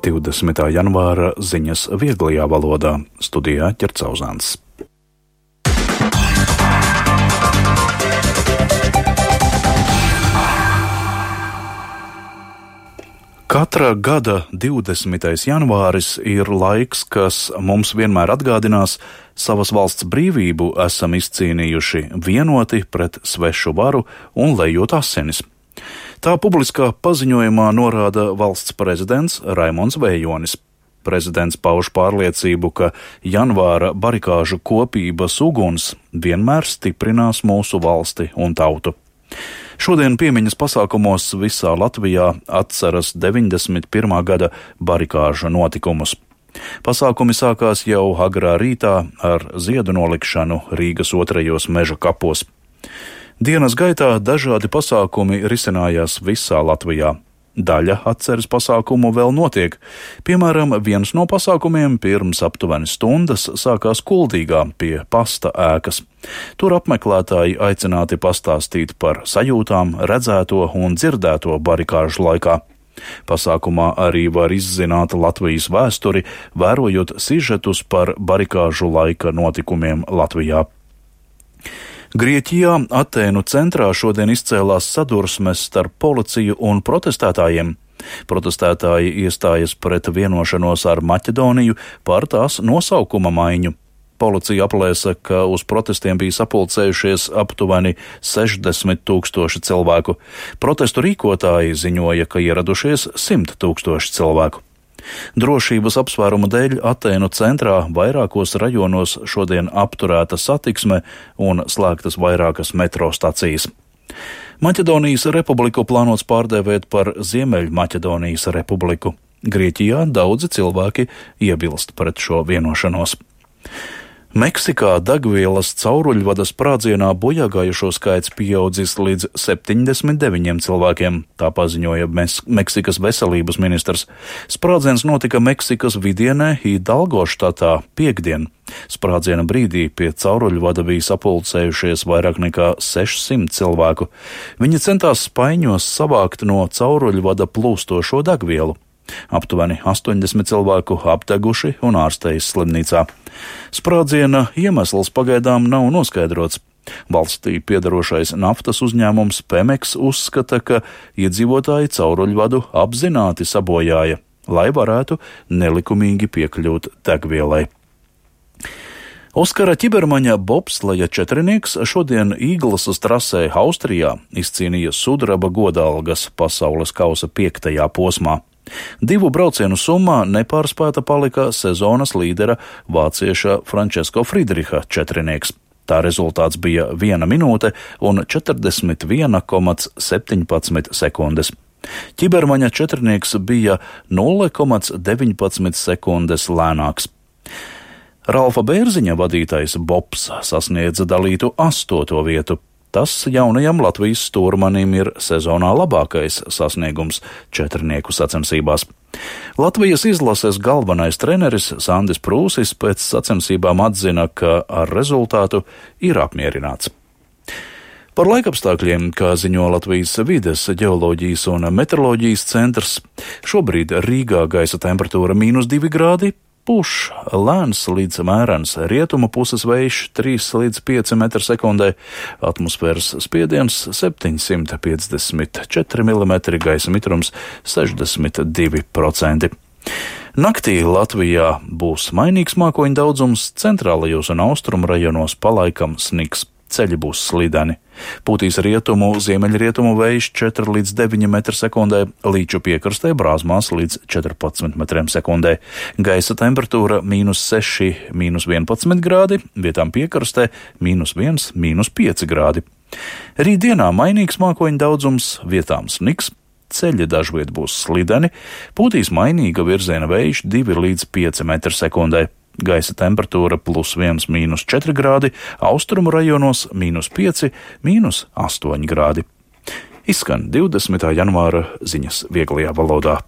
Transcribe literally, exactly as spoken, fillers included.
divdesmitā janvāra ziņas vieglajā valodā. Studijā Ķercauzāns. Katra gada divdesmitais janvāris ir laiks, kas mums vienmēr atgādinās, savas valsts brīvību esam izcīnījuši vienoti pret svešu varu un lejot asinis. Tā publiskā paziņojumā norāda valsts prezidents Raimonds Vējonis. Prezidents pauž pārliecību, ka janvāra barikāžu kopības uguns vienmēr stiprinās mūsu valsti un tautu. Šodien piemiņas pasākumos visā Latvijā atceras deviņdesmit pirmā gada barikāžu notikumus. Pasākumi sākās jau agrā rītā ar ziedu nolikšanu Rīgas otrajos meža kapos. Dienas gaitā dažādi pasākumi risinājās visā Latvijā. Daļa atceres pasākumu vēl notiek. Piemēram, viens no pasākumiem pirms aptuveni stundas sākās Kuldīgā pie pasta ēkas. Tur apmeklētāji aicināti pastāstīt par sajūtām, redzēto un dzirdēto barikāžu laikā. Pasākumā arī var izzināt Latvijas vēsturi, vērojot sižetus par barikāžu laika notikumiem Latvijā. Grieķijā Atēnu centrā šodien izcēlās sadursmes starp policiju un protestētājiem. Protestētāji iestājas pret vienošanos ar Maķedoniju par tās nosaukuma maiņu. Policija aplēsa, ka uz protestiem bija sapulcējušies aptuveni sešdesmit tūkstoši cilvēku. Protestu rīkotāji ziņoja, ka ieradušies simt tūkstoši cilvēku. Drošības apsvērumu dēļ Atēnu centrā vairākos rajonos šodien apturēta satiksme un slēgtas vairākas metro stacijas. Maķedonijas republiku plānots pārdēvēt par Ziemeļmaķedonijas republiku. Grieķijā daudzi cilvēki iebilst pret šo vienošanos. Meksikā degvielas cauruļvada sprādzienā bojāgājušo skaits pieaudzis līdz septiņdesmit deviņiem cilvēkiem, tā paziņoja Meksikas veselības ministrs. Sprādziens notika Meksikas vidienē Hidalgo štatā piektdien. Sprādziena brīdī pie cauruļvada bija sapulcējušies vairāk nekā sešsimt cilvēku. Viņi centās spaiņos savākt no cauruļvada plūstošo degvielu. Aptuveni astoņdesmit cilvēku apdeguši un ārstējas slimnīcā. Sprādziena iemesls pagaidām nav noskaidrots. Valstī piedarošais naftas uzņēmums Pemex uzskata, ka iedzīvotāji cauruļvadu apzināti sabojāja, lai varētu nelikumīgi piekļūt degvielai. Oskara ķibermaņa bobsleja četrinieks šodien Īglasas trasē Austrijā izcīnīja sudraba godalgas pasaules kausa piektajā posmā. Divu braucienu summā nepārspēta palika sezonas līdera vācieša Frančesko Friedriha četrinieks. Tā rezultāts bija viena minūte un četrdesmit viena komma septiņpadsmit sekundes. Ķibermaņa četrinieks bija nulle komma deviņpadsmit sekundes lēnāks. Ralfa Bērziņa vadītais bobs sasniedza dalītu astoto vietu. Tas jaunajam Latvijas stūrmanim ir sezonā labākais sasniegums četrnieku sacensībās. Latvijas izlases galvenais treneris Sandis Prūsis pēc sacensībām atzina, ka ar rezultātu ir apmierināts. Par laikapstākļiem, kā ziņo Latvijas vides, ģeoloģijas un meteoroloģijas centrs, šobrīd Rīgā gaisa temperatūra mīnus divi grādi, puš lēns līdz mērens rietumu puses vējš trīs līdz pieci metri sekundē, atmosfēras spiediens septiņsimt piecdesmit četri milimetri, gaisa mitrums sešdesmit divi procenti. Naktī Latvijā būs mainīgs mākoņu daudzums, centrālajos un austrumu rajonos palaikam sniks. Ceļi būs slideni. Pūtīs rietumu, ziemeļrietumu vējš četri līdz deviņi metri sekundē, Līču piekrastē brāzmās līdz četrpadsmit metriem sekundē. Gaisa temperatūra mīnus seši, mīnus vienpadsmit grādi, vietām piekrastē mīnus viens, mīnus pieci grādi. Rītdienā mainīgs mākoņu daudzums, vietām sniks, ceļi dažviet būs slideni, pūtīs mainīga virziena vējš divi līdz pieci metri sekundē. Gaisa temperatūra plus viens, mīnus četri grādi, austrumu rajonos mīnus pieci, mīnus astoņi grādi. Izskan divdesmitā janvāra ziņas vieglajā valodā.